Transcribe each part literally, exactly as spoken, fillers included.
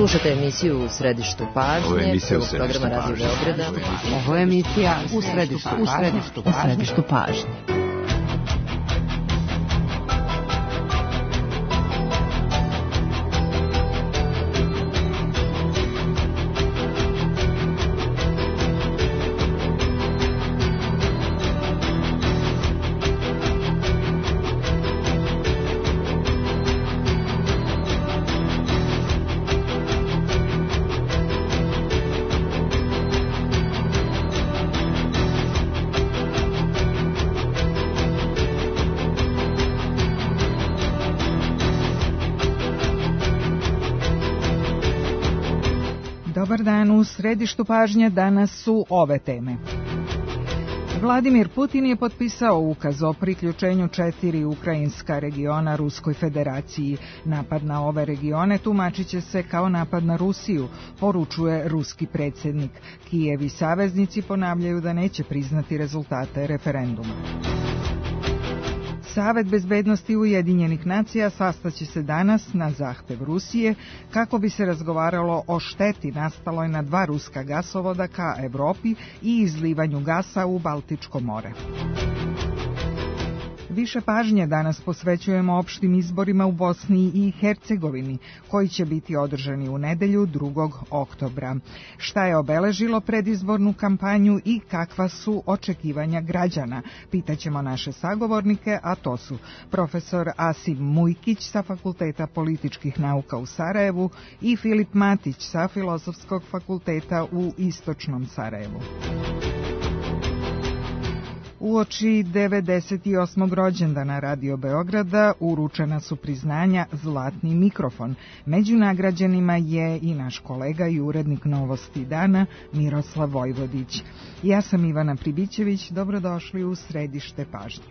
Slušate emisiju U središtu pažnje, prvog programa Radio Beograda. Ovo je emisija U središtu pažnje. U središtu pažnje. Dobar dan, u središtu pažnje danas su ove teme. Vladimir Putin je potpisao ukaz o priključenju četiri ukrajinska regiona Ruskoj federaciji. Napad na ove regione tumačit će se kao napad na Rusiju, poručuje ruski predsjednik. Kijev i saveznici ponavljaju da neće priznati rezultate referenduma. Savet bezbednosti Ujedinjenih nacija sastaće se danas na zahtev Rusije kako bi se razgovaralo o šteti nastaloj na dva ruska gasovoda ka Evropi i izlivanju gasa u Baltičko more. Više pažnje danas posvećujemo opštim izborima u Bosni i Hercegovini, koji će biti održani u nedelju drugog oktobra. Šta je obeležilo predizbornu kampanju i kakva su očekivanja građana? Pitaćemo naše sagovornike, a to su profesor Asim Mujkić sa Fakulteta političkih nauka u Sarajevu i Filip Matić sa Filozofskog fakulteta u Istočnom Sarajevu. Uoči devedeset osmog rođendana Radio Beograda uručena su priznanja Zlatni mikrofon. Među nagrađenima je i naš kolega i urednik Novosti dana Miroslav Vojvodić. Ja sam Ivana Pribićević, dobrodošli u središte pažnje.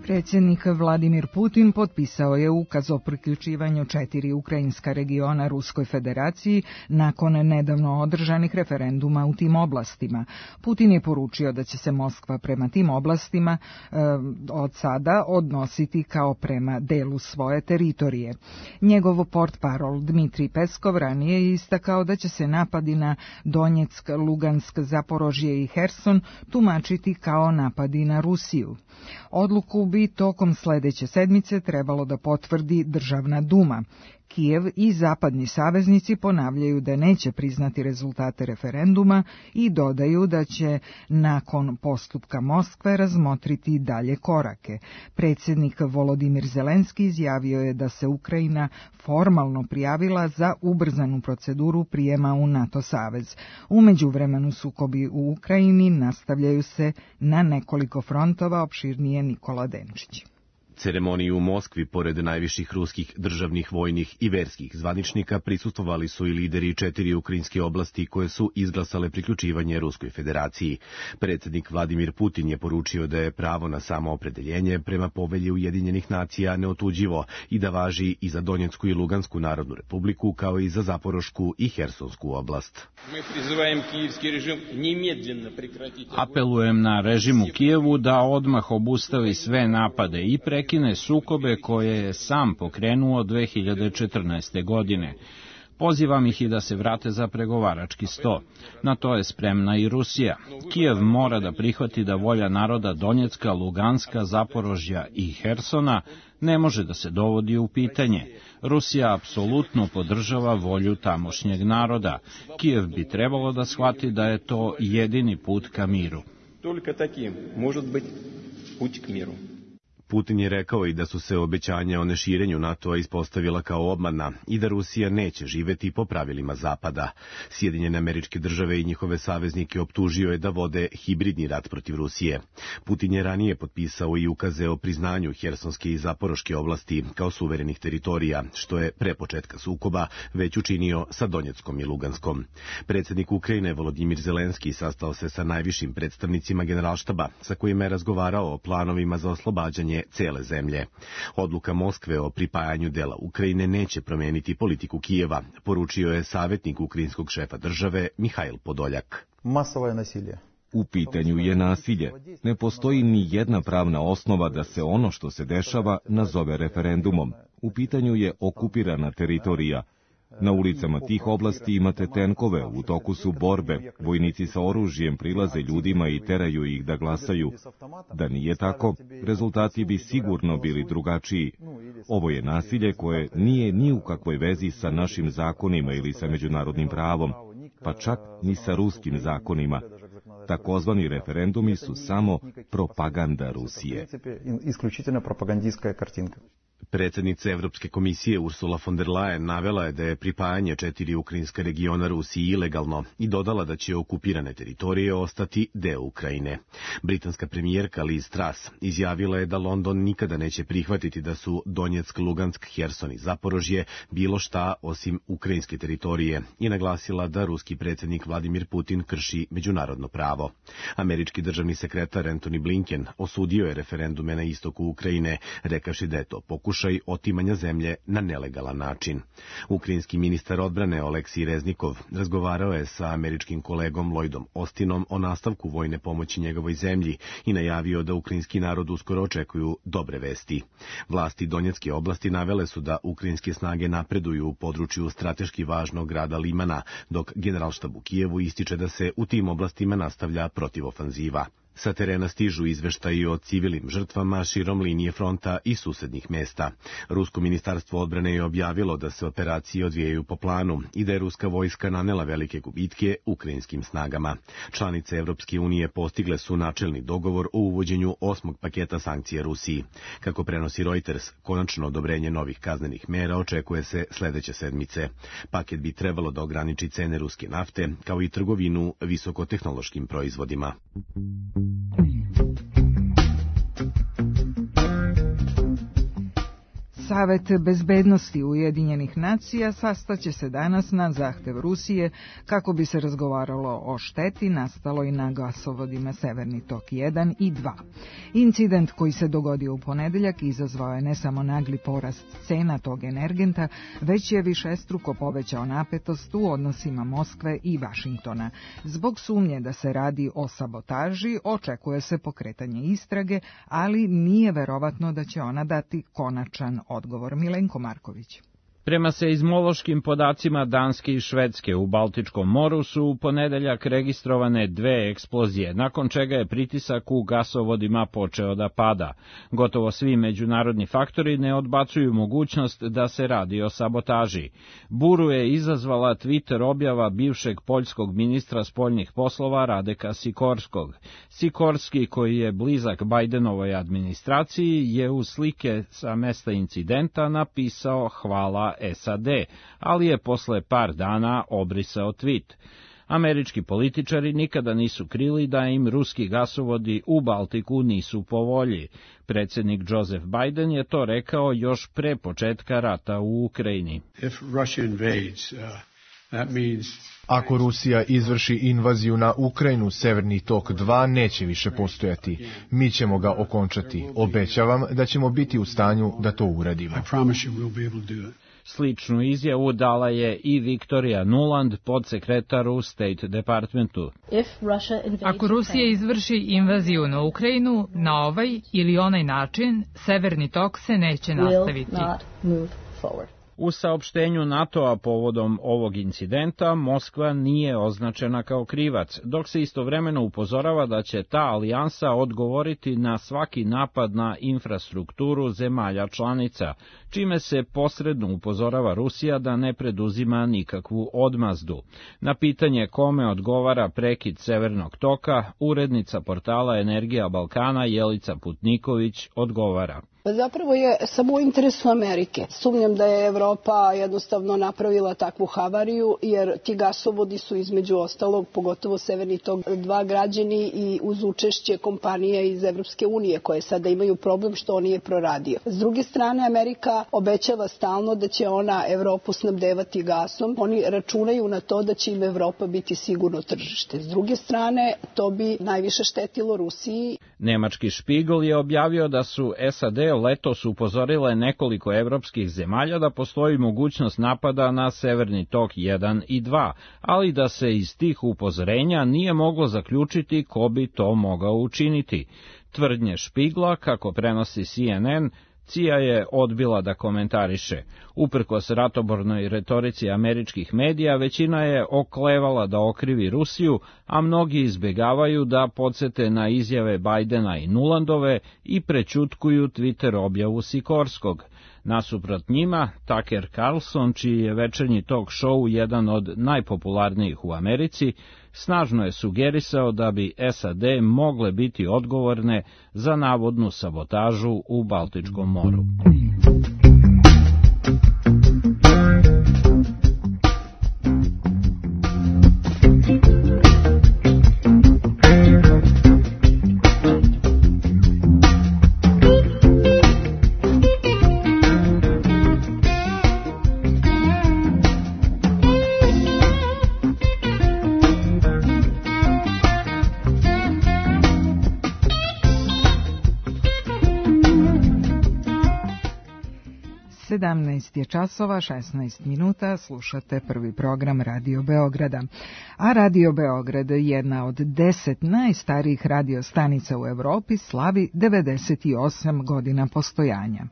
Predsjednik Vladimir Putin potpisao je ukaz o priključivanju četiri ukrajinska regiona Ruskoj federaciji nakon nedavno održanih referenduma u tim oblastima. Putin je poručio da će se Moskva prema tim oblastima e, od sada odnositi kao prema delu svoje teritorije. Njegov portparol Dmitrij Peskov ranije je istakao da će se napadi na Donjeck, Lugansk, Zaporožje i Herson tumačiti kao napadi na Rusiju. Odluku bi tokom sledeće sedmice trebalo da potvrdi Državna duma. Kijev i zapadni saveznici ponavljaju da neće priznati rezultate referenduma i dodaju da će nakon postupka Moskve razmotriti dalje korake. Predsjednik Volodimir Zelenski izjavio je da se Ukrajina formalno prijavila za ubrzanu proceduru prijema u NATO savez. U međuvremenu sukobi u Ukrajini nastavljaju se na nekoliko frontova, opširnije Nikola Denčić. Ceremoniji u Moskvi, pored najviših ruskih državnih, vojnih i verskih zvaničnika, prisustvovali su i lideri četiri ukrajinske oblasti koje su izglasale priključivanje Ruskoj federaciji. Predsjednik Vladimir Putin je poručio da je pravo na samoopredeljenje prema povelji Ujedinjenih nacija neotuđivo i da važi i za Donjecku i Lugansku narodnu republiku, kao i za Zaporošku i Hersonsku oblast. Apelujem na režim u Kijevu da odmah obustavi sve napade i pre prekine sukobe koje je sam pokrenuo dve hiljade četrnaeste. godine. Pozivam ih i da se vrate za pregovarački sto. Na to je spremna i Rusija. Kijev mora da prihvati da volja naroda Donjecka, Luganska, Zaporožja i Hersona ne može da se dovodi u pitanje. Rusija apsolutno podržava volju tamošnjeg naroda. Kijev bi trebalo da shvati da je to jedini put ka miru. Toliko takim može biti put k miru. Putin je rekao i da su se obećanja o neširenju NATO-a ispostavila kao obmana i da Rusija neće živeti po pravilima Zapada. Sjedinjene Američke Države i njihove saveznike optužio je da vode hibridni rat protiv Rusije. Putin je ranije potpisao i ukaze o priznanju Hersonske i Zaporoške oblasti kao suverenih teritorija, što je pre početka sukoba već učinio sa Donjeckom i Luganskom. Predsjednik Ukrajine Volodimir Zelenski sastao se sa najvišim predstavnicima Generalštaba, sa kojima je razgovarao o planovima za oslobađanje cele zemlje. Odluka Moskve o pripajanju dela Ukrajine neće promeniti politiku Kijeva, poručio je savjetnik ukrajinskog šefa države Mihajl Podoljak. Masovno nasilje. U pitanju je nasilje. Ne postoji ni jedna pravna osnova da se ono što se dešava nazove referendumom. U pitanju je okupirana teritorija. Na ulicama tih oblasti imate tenkove, u toku su borbe, vojnici sa oružjem prilaze ljudima i teraju ih da glasaju. Da nije tako, rezultati bi sigurno bili drugačiji. Ovo je nasilje koje nije ni u kakvoj vezi sa našim zakonima ili sa međunarodnim pravom, pa čak ni sa ruskim zakonima. Takozvani referendumi su samo propaganda Rusije. Isključivo propagandijska kartinka. Predsjednica Evropske komisije Ursula von der Leyen navela je da je pripajanje četiri ukrajinska regiona Rusiji ilegalno i dodala da će okupirane teritorije ostati deo Ukrajine. Britanska premijerka Liz Truss izjavila je da London nikada neće prihvatiti da su Donjeck, Lugansk, Herson i Zaporožje bilo šta osim ukrajinske teritorije i naglasila da ruski predsjednik Vladimir Putin krši međunarodno pravo. Američki državni sekretar Antony Blinken osudio je referendume na istoku Ukrajine, rekavši da je to pokušaj otimanja zemlje na nelegalan način. Ukrajinski ministar odbrane Oleksij Reznikov razgovarao je sa američkim kolegom Lloydom Austinom o nastavku vojne pomoći njegovoj zemlji i najavio da ukrajinski narod uskoro očekuju dobre vesti. Vlasti Donjecke oblasti navele su da ukrajinske snage napreduju u području strateški važnog grada Limana, dok Generalštab u Kijevu ističe da se u tim oblastima nastavlja protivofanziva. Sa terena stižu izveštaji o civilnim žrtvama širom linije fronta i susednih mesta. Rusko ministarstvo odbrane je objavilo da se operacije odvijaju po planu i da je ruska vojska nanela velike gubitke ukrajinskim snagama. Članice Evropske unije postigle su načelni dogovor o uvođenju osmog paketa sankcija Rusiji. Kako prenosi Reuters, konačno odobrenje novih kaznenih mera očekuje se sledeće sedmice. Paket bi trebalo da ograniči cene ruske nafte, kao i trgovinu visokotehnološkim proizvodima. Savet bezbednosti Ujedinjenih nacija sastaće se danas na zahtev Rusije kako bi se razgovaralo o šteti nastaloj na gasovodima Severni tok jedan i dva. Incident koji se dogodio u ponedeljak izazvao je ne samo nagli porast cena tog energenta, već je višestruko povećao napetost u odnosima Moskve i Vašingtona. Zbog sumnje da se radi o sabotaži, očekuje se pokretanje istrage, ali nije verovatno da će ona dati konačan odgovor. Milenko Marković. Prema seizmološkim podacima Danske i Švedske u Baltičkom moru su u ponedeljak registrovane dve eksplozije, nakon čega je pritisak u gasovodima počeo da pada. Gotovo svi međunarodni faktori ne odbacuju mogućnost da se radi o sabotaži. Buru je izazvala Twitter objava bivšeg poljskog ministra spoljnih poslova Radeka Sikorskog. Sikorski, koji je blizak Bajdenovoj administraciji, je u slike sa mesta incidenta napisao hvala S A D, ali je posle par dana obrisao tweet. Američki političari nikada nisu krili da im ruski gasovodi u Baltiku nisu po volji. Predsjednik Joseph Biden je to rekao još pre početka rata u Ukrajini. Ako Rusija izvrši invaziju na Ukrajinu, Severni tok dva neće više postojati. Mi ćemo ga okončati. Obećavam da ćemo biti u stanju da to uradimo. Sličnu izjavu dala je i Victoria Nuland, podsekretar u State Departmentu. Ako Rusija izvrši invaziju na Ukrajinu, na ovaj ili onaj način, Severni tok se neće nastaviti. U saopštenju NATO-a povodom ovog incidenta Moskva nije označena kao krivac, dok se istovremeno upozorava da će ta alijansa odgovoriti na svaki napad na infrastrukturu zemalja članica, čime se posredno upozorava Rusija da ne preduzima nikakvu odmazdu. Na pitanje kome odgovara prekid Severnog toka, urednica portala Energija Balkana Jelica Putniković odgovara. Zapravo je samo u interesu Amerike. Sumnjam da je Evropa jednostavno napravila takvu havariju, jer ti gasovodi su između ostalog, pogotovo Severni tok dva, građeni i uz učešće kompanija iz Evropske unije, koje sada imaju problem što on nije proradio. S druge strane, Amerika obećava stalno da će ona Evropu snabdevati gasom. Oni računaju na to da će im Evropa biti sigurno tržište. S druge strane, to bi najviše štetilo Rusiji. Nemački Špigl je objavio da su S A D letos upozorile nekoliko evropskih zemalja da postoji mogućnost napada na Severni tok jedan i dva, ali da se iz tih upozorenja nije moglo zaključiti ko bi to mogao učiniti. Tvrdnje Špigla, kako prenosi C N N, C I A je odbila da komentariše. Uprkos ratobornoj retorici američkih medija, većina je oklevala da okrivi Rusiju, a mnogi izbegavaju da podsete na izjave Bajdena i Nulandove i prećutkuju Twitter objavu Sikorskog. Nasuprot njima, Tucker Carlson, čiji je večernji talk show jedan od najpopularnijih u Americi, snažno je sugerisao da bi S A D mogle biti odgovorne za navodnu sabotažu u Baltičkom moru. sedamnaest je časova, šesnaest minuta, slušate prvi program Radio Beograda. A Radio Beograd, jedna od deset najstarijih radiostanica u Evropi, slavi devedeset osam godina postojanja.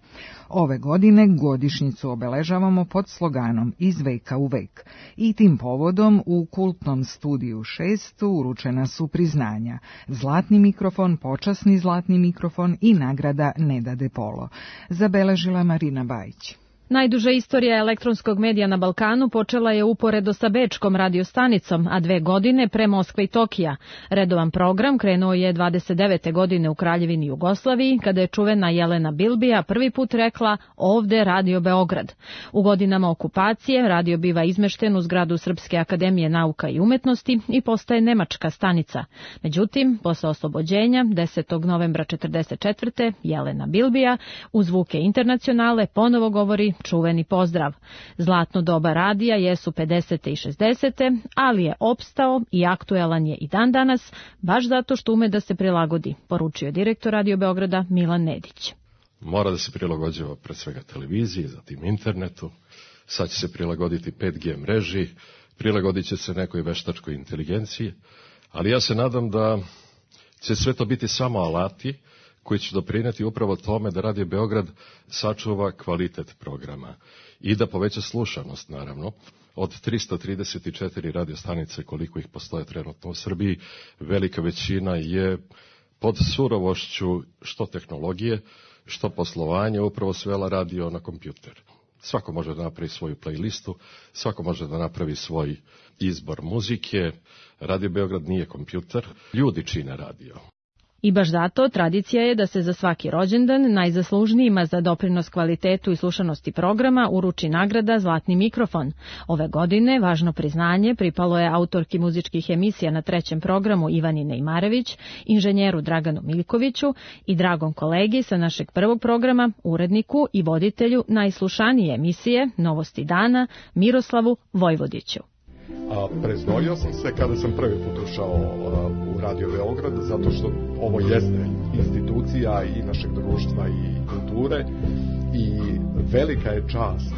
Ove godine godišnjicu obeležavamo pod sloganom Iz veka u vek. I tim povodom u kultnom studiju šest uručena su priznanja: Zlatni mikrofon, počasni zlatni mikrofon i nagrada Neda De Polo. Zabeležila Marina Bajić. Najduža istorija elektronskog medija na Balkanu počela je uporedo sa bečkom radiostanicom, a dve godine pre Moskve i Tokija. Redovan program krenuo je dvadeset devete godine u Kraljevini Jugoslaviji, kada je čuvena Jelena Bilbija prvi put rekla ovde Radio Beograd. U godinama okupacije radio biva izmešten u zgradu Srpske akademije nauka i umetnosti i postaje nemačka stanica. Međutim, posle oslobođenja, desetog novembra četrdeset četvrte Jelena Bilbija u zvuke internacionale ponovo govori čuveni pozdrav. Zlatno doba radija jesu pedesete i šezdesete, ali je opstao i aktuelan je i dan danas, baš zato što ume da se prilagodi, poručio direktor Radio Beograda Milan Nedić. Mora da se prilagođava pre svega televiziji, zatim internetu, sad će se prilagoditi pet G mreži, prilagodit će se nekoj veštačkoj inteligenciji, ali ja se nadam da će sve to biti samo alati koji će doprineti upravo tome da Radio Beograd sačuva kvalitet programa i da poveća slušanost, naravno. Od tristo trideset četiri radiostanice, koliko ih postoje trenutno u Srbiji, velika većina je pod surovošću što tehnologije, što poslovanje, upravo svela radio na kompjuter. Svako može da napravi svoju playlistu, svako može da napravi svoj izbor muzike. Radio Beograd nije kompjuter, ljudi čine radio. I baš zato tradicija je da se za svaki rođendan najzaslužnijima za doprinos kvalitetu i slušanosti programa uruči nagrada Zlatni mikrofon. Ove godine važno priznanje pripalo je autorki muzičkih emisija na trećem programu Ivani Nejmarević, inženjeru Draganu Miljkoviću i dragom kolegi sa našeg prvog programa, uredniku i voditelju najslušanije emisije Novosti dana Miroslavu Vojvodiću. A preznojio sam se kada sam prvi put ušao u Radio Beograd, zato što ovo jeste institucija i našeg društva i kulture i velika je čast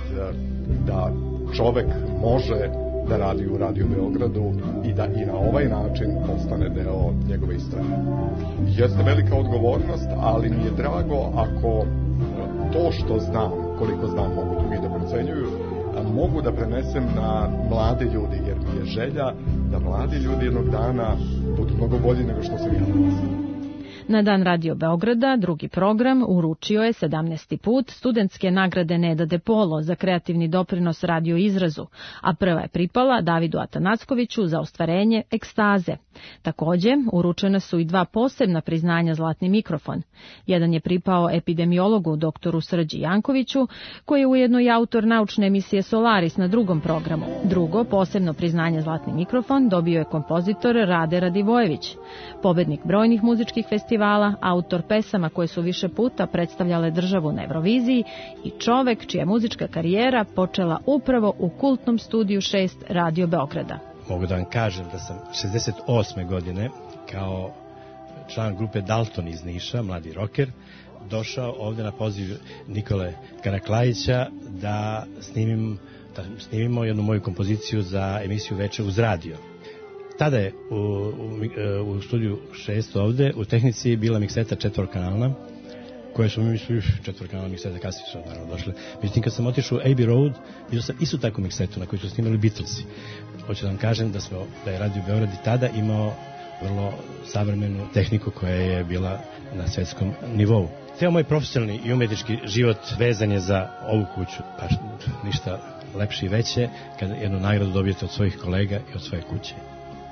da čovek može da radi u Radio Beogradu i da i na ovaj način postane deo njegove istorije. Jeste velika odgovornost, ali mi je drago ako to što znam, koliko znam, mogu drugi da procenjuju, mogu da prenesem na mlade ljudi, jer mi je želja da mladi ljudi jednog dana budu mnogo bolji nego što sam ja danas. Na Dan Radio Beograda drugi program uručio je sedamnaesti put studentske nagrade Neda De Polo za kreativni doprinos radio izrazu, a prva je pripala Davidu Atanackoviću za ostvarenje Ekstaze. Takođe, uručena su i dva posebna priznanja Zlatni mikrofon. Jedan je pripao epidemiologu doktoru Srđi Jankoviću, koji je ujedno i autor naučne emisije Solaris na drugom programu. Drugo, posebno priznanje Zlatni mikrofon dobio je kompozitor Rade Radivojević, pobednik brojnih muzičkih festivala, autor pesama koje su više puta predstavljale državu na Euroviziji i čovek čija muzička karijera počela upravo u kultnom studiju šest Radio Beograda. Mogu da vam kažem da sam šezdeset osme godine kao član grupe Dalton iz Niša, mladi roker, došao ovde na poziv Nikole Karaklajića da, snimim, da snimimo jednu moju kompoziciju za emisiju Veče uz radio. Tada je u, u, u studiju šest ovde u tehnici bila mikseta četvorkanalna, koje su mi mislili četvorkanalna mikseta, kasnije su naravno došle. Međutim, kad sam otišao u Abbey Road, vidio sam istu takvu miksetu na kojoj su snimali Beatlesi. Hoću da vam kažem da, smo, da je Radio Beograd i tada imao vrlo savremenu tehniku koja je bila na svetskom nivou. Ceo moj profesionalni i umetnički život vezan je za ovu kuću, pa ništa lepše i veće kada jednu nagradu dobijete od svojih kolega i od svoje kuće.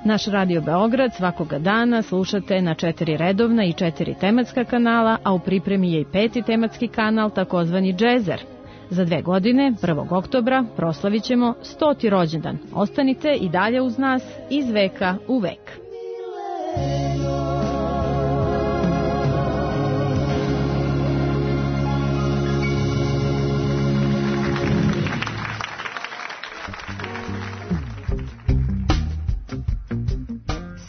Naš Radio Beograd svakoga dana slušate na četiri redovna i četiri tematska kanala, a u pripremi je i peti tematski kanal, takozvani Džezer. Za dve godine, prvog oktobra, proslavit ćemo stoti rođendan. Ostanite i dalje uz nas iz veka u vek.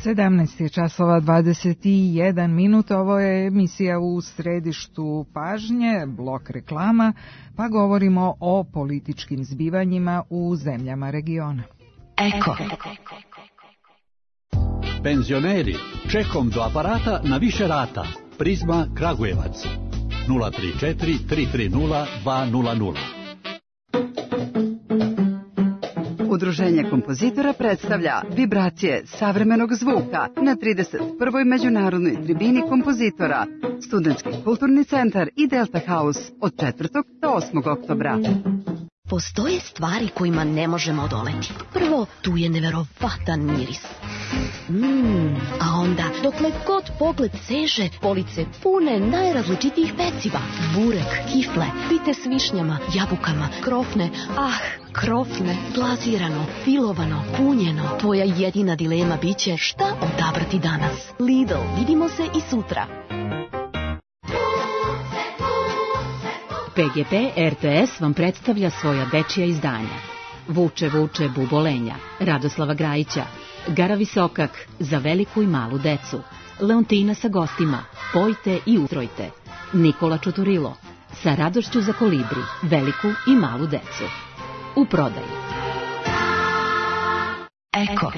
sedamnaest je časova dvadeset jedan minuta, ovo je emisija u središtu pažnje, blok reklama, pa govorimo o političkim zbivanjima u zemljama regiona. Eko. Penzioneri, čekom do aparata na više rata. Prizma Kragujevac. nula tri četiri tri tri nula dva nula nula. Udruženje kompozitora predstavlja vibracije savremenog zvuka na trideset prvoj međunarodnoj tribini kompozitora, Studentski kulturni centar i Delta House od četvrtog do osmog oktobra. Postoje stvari kojima ne možemo odoleti. Prvo, tu je neverovatan miris. Mm, a onda, dokle god pogled seže, police pune najrazličitijih peciva. Burek, kifle, pite s višnjama, jabukama, krofne, ah, krofne, glazirano, filovano, punjeno. Tvoja jedina dilema biće šta odabrati danas. Lidl, vidimo se i sutra. P G P R T S vam predstavlja svoja dečija izdanja. Vuče, vuče, bubolenja, Radoslava Grajića, Gara Visokak, za veliku i malu decu, Leontina sa gostima, Pojte i utrojte, Nikola Čuturilo, sa radošću za kolibri, veliku i malu decu. U prodaju. Eko.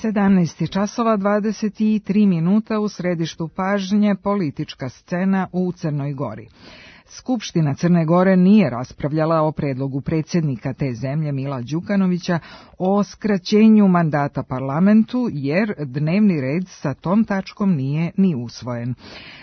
sedamnaest časova dvadeset tri minuta, u središtu pažnje politička scena u Crnoj Gori. Skupština Crne Gore nije raspravljala o predlogu predsjednika te zemlje Mila Đukanovića o skraćenju mandata parlamentu, jer dnevni red sa tom tačkom nije ni usvojen.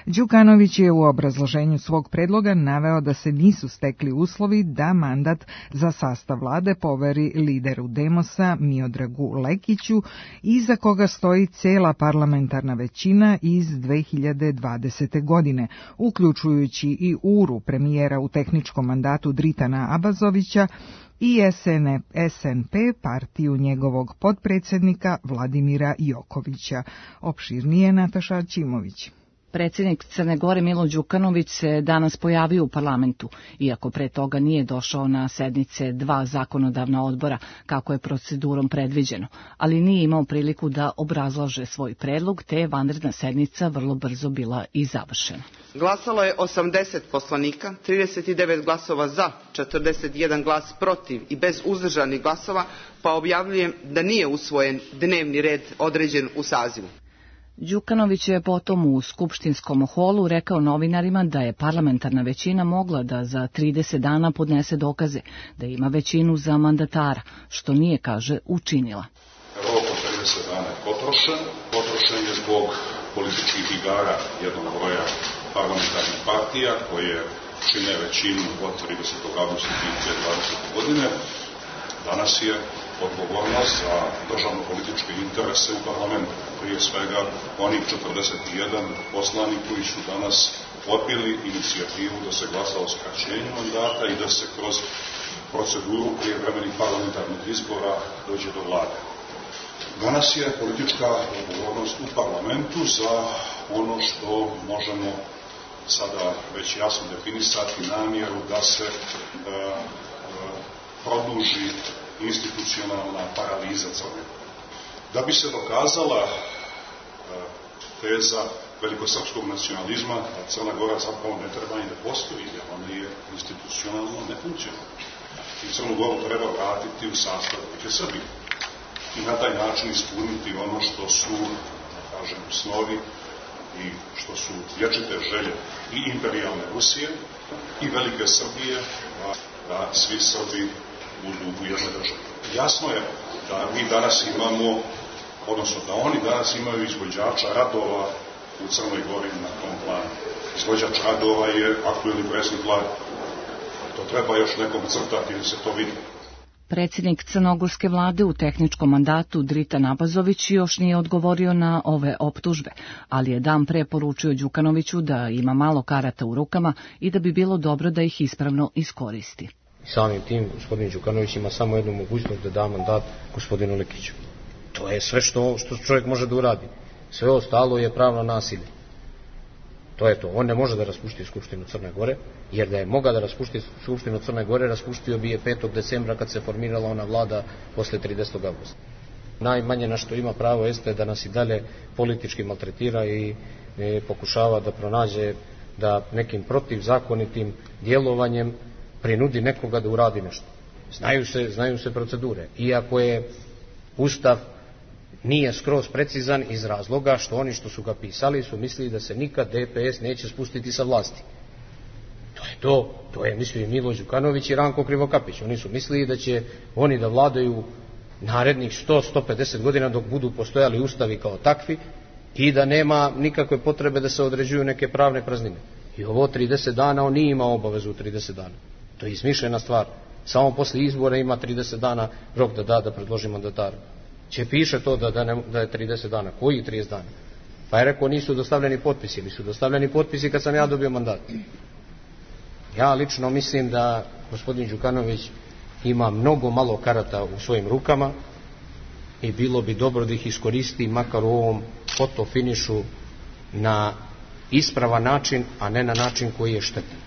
Đukanović je u obrazloženju svog predloga naveo da se nisu stekli uslovi da mandat za sastav vlade poveri lideru Demosa Miodragu Lekiću, iza koga stoji cela parlamentarna većina iz dve hiljade dvadesete. godine, uključujući i uru premijera u tehničkom mandatu Dritana Abazovića i S N P, partiju njegovog potpredsjednika Vladimira Jokovića. Opširnije Nataša Ćimović. Predsjednik Crne Gore Milo Đukanović se danas pojavio u parlamentu, iako pre toga nije došao na sednice dva zakonodavna odbora, kako je procedurom predviđeno, ali nije imao priliku da obrazlaže svoj predlog, te je vanredna sednica vrlo brzo bila i završena. Glasalo je osamdeset poslanika, trideset devet glasova za, četrdeset jedan glas protiv i bez uzdržanih glasova, pa objavljujem da nije usvojen dnevni red određen u sazivu. Đukanović je potom u skupštinskom holu rekao novinarima da je parlamentarna većina mogla da za trideset dana podnese dokaze, da ima većinu za mandatara, što nije, kaže, učinila. Rok od trideset dana je potrošen. Potrošen je zbog političkih igara jednog broja parlamentarnih partija koje čine većinu od tridesetog avgusta dve hiljade dvadesete. godine. Danas je odgovornost za državno-političke interese u parlamentu. Prije svega onih četrdeset jedan poslanik koji su danas odbili inicijativu da se glasa o skraćenju mandata i da se kroz proceduru prijevremenih parlamentarnih izbora dođe do vlade. Danas je politička odgovornost u parlamentu za ono što možemo sada već jasno definisati namjeru da se e, e, produži institucionalna paraliza Crne Gore. Da bi se dokazala e, teza velikosrpskog nacionalizma, da Crna Gora zapravo ne treba ni da postoji, jer ona je institucionalno nefunkcionalna. I Crnu Goru treba vratiti u sastav Republike Srbije i na taj način ispuniti ono što su, da kažem, snovi i što su vječite želje i imperijalne Rusije i velike Srbije, da, da svi Srbi budu u jednoj državi. Jasno je da mi danas imamo, odnosno da oni danas imaju izvođača radova u Crnoj Gori na tom planu. Izvođač radova je aktuelni predsjednik vlade. To treba još nekom crtati da se to vidi. Predsjednik crnogorske vlade u tehničkom mandatu Drita Nabazović još nije odgovorio na ove optužbe, ali je dan pre poručio Đukanoviću da ima malo karata u rukama i da bi bilo dobro da ih ispravno iskoristi. Samim tim gospodin Đukanović ima samo jednu mogućnost da da mandat gospodinu Lekiću. To je sve što, što čovjek može da uradi. Sve ostalo je pravno nasilje. To je to. On ne može da raspušti Skupštinu Crne Gore, jer da je mogao da raspušti Skupštinu Crne Gore, raspustio bi je petog decembra kad se formirala ona vlada posle tridesetog avgusta. Najmanje na što ima pravo jeste da nas i dalje politički maltretira i e, pokušava da pronađe da nekim protivzakonitim djelovanjem prinudi nekoga da uradi nešto. Znaju se, znaju se procedure. Iako je Ustav nije skroz precizan iz razloga što oni što su ga pisali su mislili da se nikad D P S neće spustiti sa vlasti. To je to, to je mislio i Milo Đukanović i Ranko Krivokapić. Oni su mislili da će oni da vladaju narednih sto do sto pedeset godina dok budu postojali ustavi kao takvi i da nema nikakve potrebe da se određuju neke pravne praznine. I ovo trideset dana on nije imao obavezu u trideset dana. To je izmišljena stvar. Samo posle izbora ima trideset dana rok da da da predloži mandatara. Če piše to da, da, ne, da je trideset dana. Koji trideset dana? Pa je rekao nisu dostavljeni potpisi. Nisu dostavljeni potpisi kad sam ja dobio mandat. Ja lično mislim da gospodin Đukanović ima mnogo malo karata u svojim rukama i bilo bi dobro da ih iskoristi makar u ovom fotofinišu na ispravan način, a ne na način koji je štetan.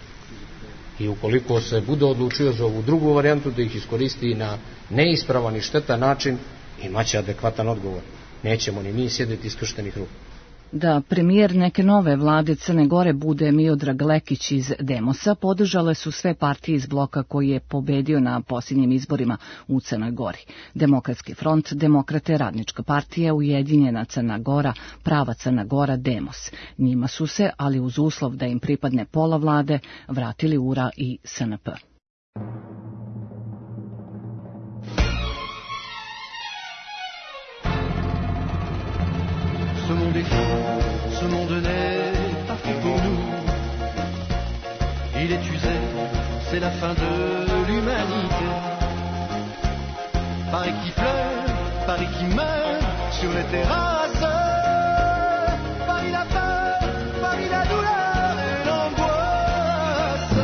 I ukoliko se bude odlučio za ovu drugu varijantu da ih iskoristi na neispravan i štetan način, imaće adekvatan odgovor. Nećemo ni mi sjediti iskrštenih ruku. Da premijer neke nove vlade Crne Gore bude Miodrag Lekić iz Demosa, podržale su sve partije iz bloka koji je pobedio na posljednjim izborima u Crnoj Gori. Demokratski front, Demokrate, Radnička partija, Ujedinjena Crna Gora, Prava Crna Gora, Demos. Njima su se, ali uz uslov da im pripadne pola vlade, vratili U R A i S N P. Ce monde est fou, ce monde n'est pas fait pour nous. Il est usé, c'est la fin de l'humanité. Paris qui pleure, Paris qui meurt sur les terrasses. Paris la peur, Paris la douleur et l'angoisse.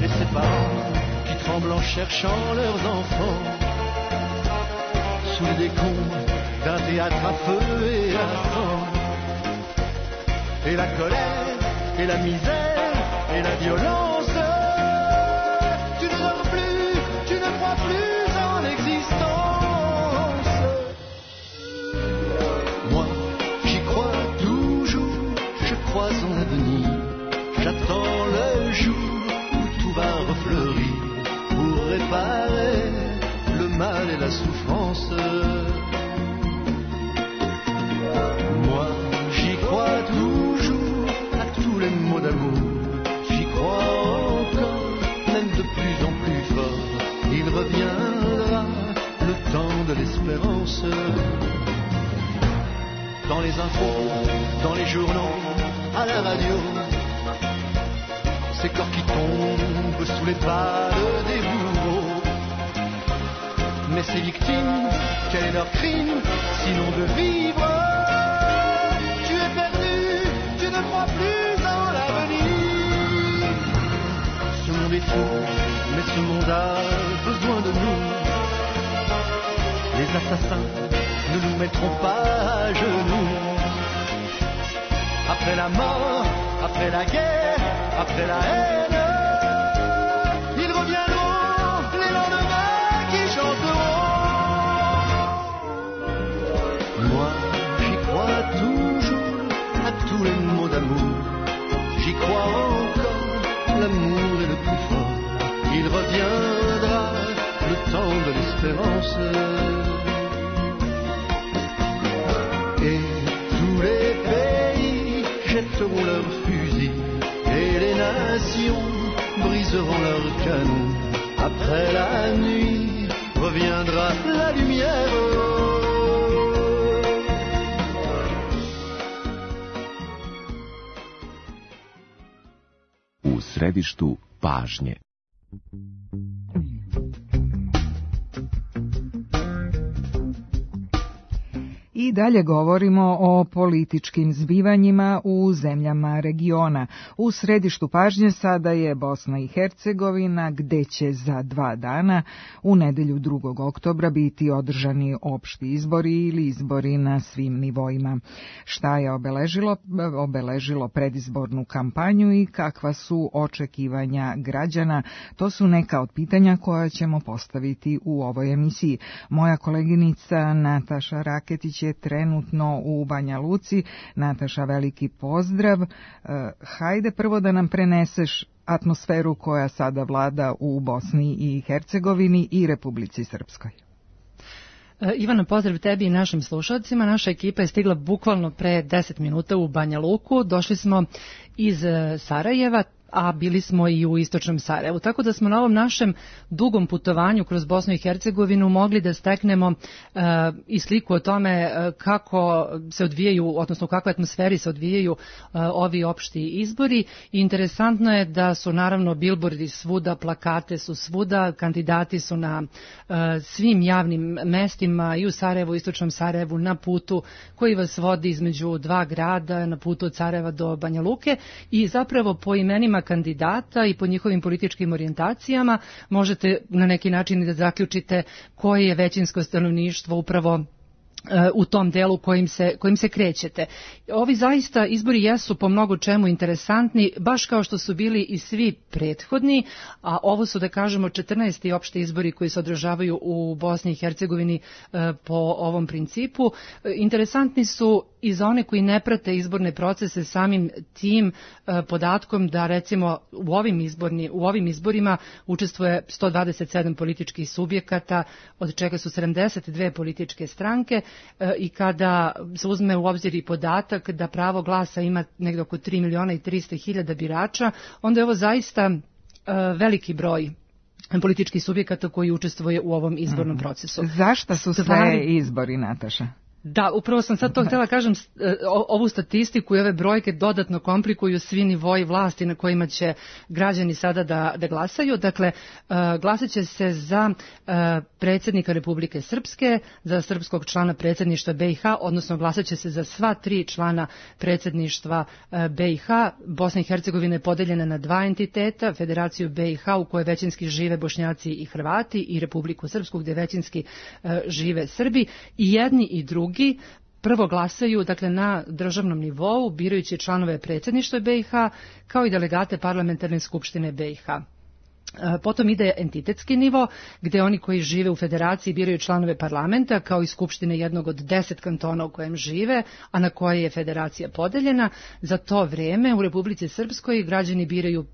Et ces parents qui tremblent en cherchant leurs enfants sous les décombres d'un théâtre à feu et à sang. Et la colère, et la misère, et la violence. Tu ne dors plus, tu ne crois plus en l'existence. Moi, j'y crois toujours, je crois en l'avenir. J'attends le jour où tout va refleurir pour réparer le mal et la souffrance. l'espérance. Dans les infos, dans les journaux, à la radio, ces corps qui tombent sous les balles des bourreaux. Mais ces victimes, quel est leur crime, sinon de vivre? Tu es perdu, tu ne crois plus en l'avenir. Ce monde est fou, mais ce monde a besoin de nous. Les assassins ne nous mettront pas à genoux. Après la mort, après la guerre, après la haine, ils reviendront, les lendemains qui chanteront. Moi, j'y crois toujours à tous les mots d'amour. J'y crois encore, l'amour est le plus fort. Il reviendra, le temps de l'espérance. Et tous les pays jetteront leurs fusils et les nations briseront leurs canons. Après la nuit reviendra la lumière. U središtu pažnje. I dalje govorimo o političkim zbivanjima u zemljama regiona. U središtu pažnje sada je Bosna i Hercegovina, gde će za dva dana, u nedelju drugog oktobra, biti održani opšti izbori ili izbori na svim nivoima. Šta je obeležilo, obeležilo predizbornu kampanju i kakva su očekivanja građana? To su neka od pitanja koja ćemo postaviti u ovoj emisiji. Moja koleginica Nataša Raketić je trenutno u Banja Luci. Nataša, veliki pozdrav. Hajde prvo da nam preneseš atmosferu koja sada vlada u Bosni i Hercegovini i Republici Srpskoj. Ivana, pozdrav tebi i našim slušalcima. Naša ekipa je stigla bukvalno pre deset minuta u Banja Luku. Došli smo iz Sarajeva, a bili smo i u istočnom Sarajevu. Tako da smo na ovom našem dugom putovanju kroz Bosnu i Hercegovinu mogli da steknemo uh, i sliku o tome uh, kako se odvijaju, odnosno u kakvoj atmosferi se odvijaju uh, ovi opšti izbori. I interesantno je da su naravno bilbordi svuda, plakate su svuda, kandidati su na uh, svim javnim mestima i u Sarajevu, istočnom Sarajevu, na putu koji vas vodi između dva grada, na putu od Sarajeva do Banja Luke, i zapravo po imenima kandidata i po njihovim političkim orijentacijama možete na neki način da zaključite koje je većinsko stanovništvo upravo u tom delu kojim se, kojim se krećete. Ovi zaista izbori jesu po mnogo čemu interesantni, baš kao što su bili i svi prethodni, a ovo su, da kažemo, četrnaesti opšti izbori koji se održavaju u Bosni i Hercegovini po ovom principu. Interesantni su i za one koji ne prate izborne procese samim tim podatkom da, recimo, u ovim, izborni, u ovim izborima učestvuje sto dvadeset sedam političkih subjekata, od čega su sedamdeset dve političke stranke, i kada se uzme u obzir i podatak da pravo glasa ima negdje oko tri miliona i trista hiljada birača, onda je ovo zaista veliki broj političkih subjekata koji učestvuje u ovom izbornom procesu. Zašto su sve Stvari... izbori, Nataša? Da, upravo sam sad to htjela kažem, ovu statistiku i ove brojke dodatno komplikuju svi nivoji vlasti na kojima će građani sada da, da glasaju. Dakle, glasat će se za predsjednika Republike Srpske, za srpskog člana predsjedništva B i H, odnosno glasat će se za sva tri člana predsjedništva B i H. Bosna i Hercegovina je podeljena na dva entiteta, Federaciju B i H u kojoj većinski žive Bošnjaci i Hrvati, i Republiku Srpsku gdje većinski žive Srbi, i jedni i drugi prvo glasaju, dakle, na državnom nivou, birajući članove predsjedništva B i H kao i delegate parlamentarne skupštine B i H. Potom ide entitetski nivo, gdje oni koji žive u federaciji biraju članove parlamenta, kao i skupštine jednog od deset kantona u kojem žive, a na koje je federacija podeljena. Za to vrijeme u Republici Srpskoj građani biraju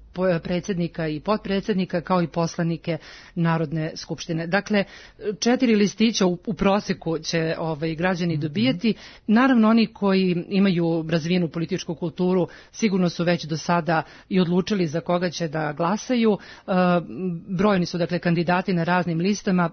predsjednika i potpredsjednika, kao i poslanike Narodne skupštine. Dakle, četiri listića u, u proseku će ovaj, građani dobijati. Naravno, oni koji imaju razvijenu političku kulturu sigurno su već do sada i odlučili za koga će da glasaju. E, brojni su, dakle, kandidati na raznim listama.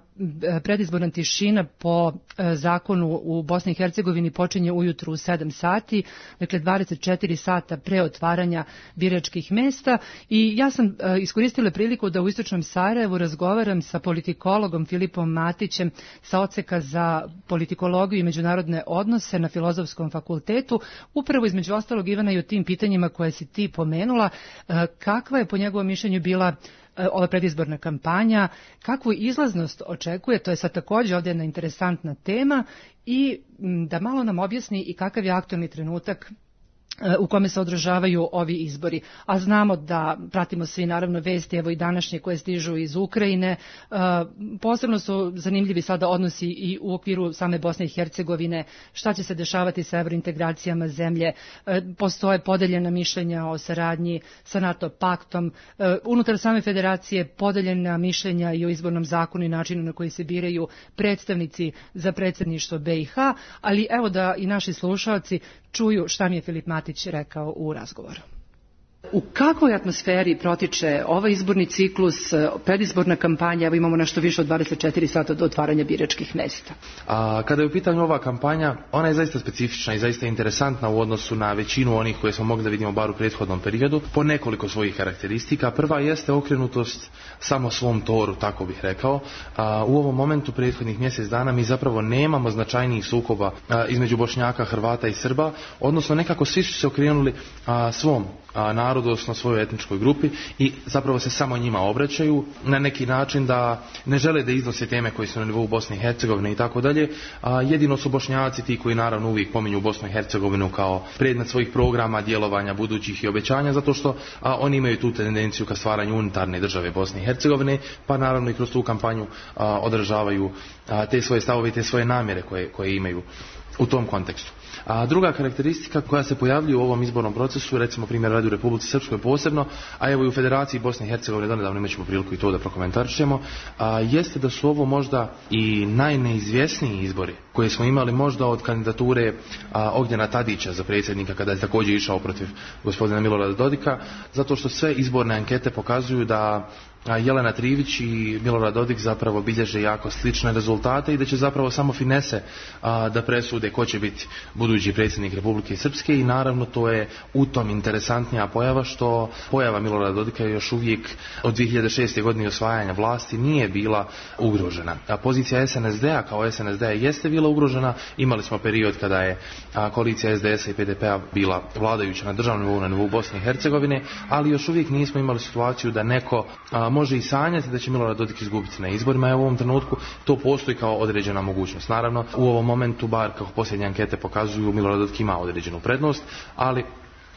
Predizborna tišina po e, zakonu u Bosni i Hercegovini počinje ujutru u sedam sati, dakle dvadeset četiri sata pre otvaranja biračkih mesta. I ja sam e, iskoristila priliku da u istočnom Sarajevu razgovaram sa politikologom Filipom Matićem sa odseka za politikologiju i međunarodne odnose na Filozofskom fakultetu, upravo između ostalog, Ivana, i o tim pitanjima koje si ti pomenula. E, kakva je po njegovom mišljenju bila e, ova predizborna kampanja, kakvu izlaznost očekuje, to je sad također ovdje jedna interesantna tema, i m, da malo nam objasni i kakav je aktualni trenutak u kome se održavaju ovi izbori. A znamo da pratimo svi naravno vesti, evo i današnje koje stižu iz Ukrajine. Posebno su zanimljivi sada odnosi i u okviru same Bosne i Hercegovine, šta će se dešavati sa evrointegracijama zemlje. Postoje podeljena mišljenja o saradnji sa NATO paktom. Unutar same federacije podeljena mišljenja i o izbornom zakonu i načinu na koji se biraju predstavnici za predsjedništvo be i ha, ali evo da i naši slušalci čuju šta mi je Filip Matić rekao u razgovoru. U kakvoj atmosferi protiče ovaj izborni ciklus, predizborna kampanja? Evo imamo nešto više od dvadeset četiri sata do otvaranja biračkih mesta. A, kada je u pitanju ova kampanja, ona je zaista specifična i zaista interesantna u odnosu na većinu onih koje smo mogli da vidimo bar u prethodnom periodu, po nekoliko svojih karakteristika. Prva jeste okrenutost samo svom toru, tako bih rekao. A, u ovom momentu prethodnih mjesec dana mi zapravo nemamo značajnijih sukoba a, između Bošnjaka, Hrvata i Srba, odnosno nekako svi su se okrenuli a, svom a, narodu, odnosno svojoj etničkoj grupi, i zapravo se samo njima obraćaju na neki način, da ne žele da iznose teme koje su na nivou Bosne i Hercegovine i tako dalje. Jedino su Bošnjaci ti koji naravno uvijek pominju Bosnu i Hercegovinu kao predmet svojih programa, djelovanja budućih i obećanja, zato što a, oni imaju tu tendenciju ka stvaranju unitarne države Bosne i Hercegovine, pa naravno i kroz tu kampanju a, održavaju a, te svoje stavove i te svoje namjere koje, koje imaju u tom kontekstu. A druga karakteristika koja se pojavljuje u ovom izbornom procesu, recimo primjer radi u Republici Srpskoj posebno, a evo i u Federaciji Bosne i Hercegovine, donedavno imat ćemo priliku i to da prokomentarišemo, a, jeste da su ovo možda i najneizvjesniji izbori koje smo imali možda od kandidature a, Ognjena Tadića za predsjednika, kada je također išao protiv gospodina Milorada Dodika, zato što sve izborne ankete pokazuju da Jelena Trivić i Milorad Dodik zapravo bilježe jako slične rezultate i da će zapravo samo finese a, da presude ko će biti budući predsjednik Republike Srpske, i naravno to je u tom interesantnija pojava što pojava Milorada Dodika još uvijek od dvije hiljade šeste. godine osvajanja vlasti nije bila ugrožena. A pozicija es en es de a kao es en es de a jeste bila ugrožena. Imali smo period kada je a, koalicija es de es a i pe de pe a bila vladajuća na državnom nivou, na nivou Bosne i Hercegovine, ali još uvijek nismo imali situaciju da neko a, može i sanjati da će Milorad Dodik izgubiti na izborima, i u ovom trenutku to postoji kao određena mogućnost. Naravno, u ovom momentu, bar kako posljednje ankete pokazuju, Milorad Dodik ima određenu prednost, ali